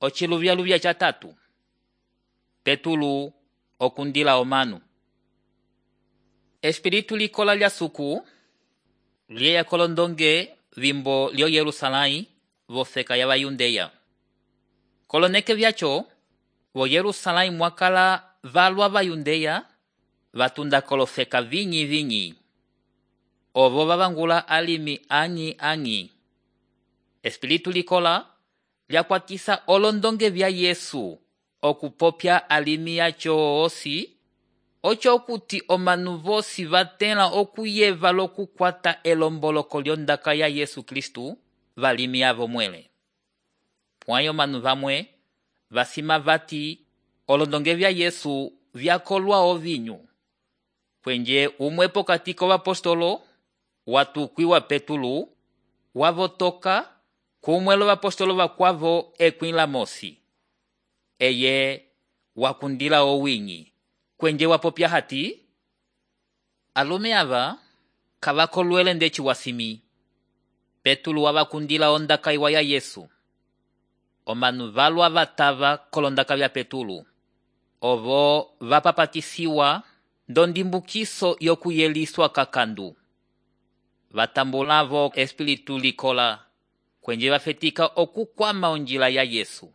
Ociluvyaluvya catatu. Petulu okundila omanu. Espiritu likola lya suku lieya kolondonge vimbo lyo Yerusalai vofeka ya Bayundeya. Koloneke vyacho vo Yerusalai mwakala valwa Bayundeya vatunda kolofeka vinyi. Ovo vavangula alimi anyi. Espiritu likola lyakwatisa olondonge vya Yesu okupopya alimi yacho osi, ocho kuti omanu vosi vatela okuyeva lokukwata elomboloko lyondaka ya Yesu Kristu valimi avo mwele. Pwayo manu vamwe vasima vati olondonge vya Yesu vyakolwa ovinyu. Kwenye umwe pokati k'ovapostolo watukwiwa Petulu wavotoka kumwelo vapostolo vakwavo ekwila mosi. Eye wakundila owinyi kwenye wapopya hati alume ava kavakolwele ndeci wasimi. Petulu wavakundila ondaka iwa ya Yesu. Omanu valwa vatava kolondaka vya Petulu. Ovo vapapatisiwa ndondimbukiso yokuyeliswa kakandu. Vatambulavo espiritu likola kwenye vafetika okukwama onjila ya Yesu.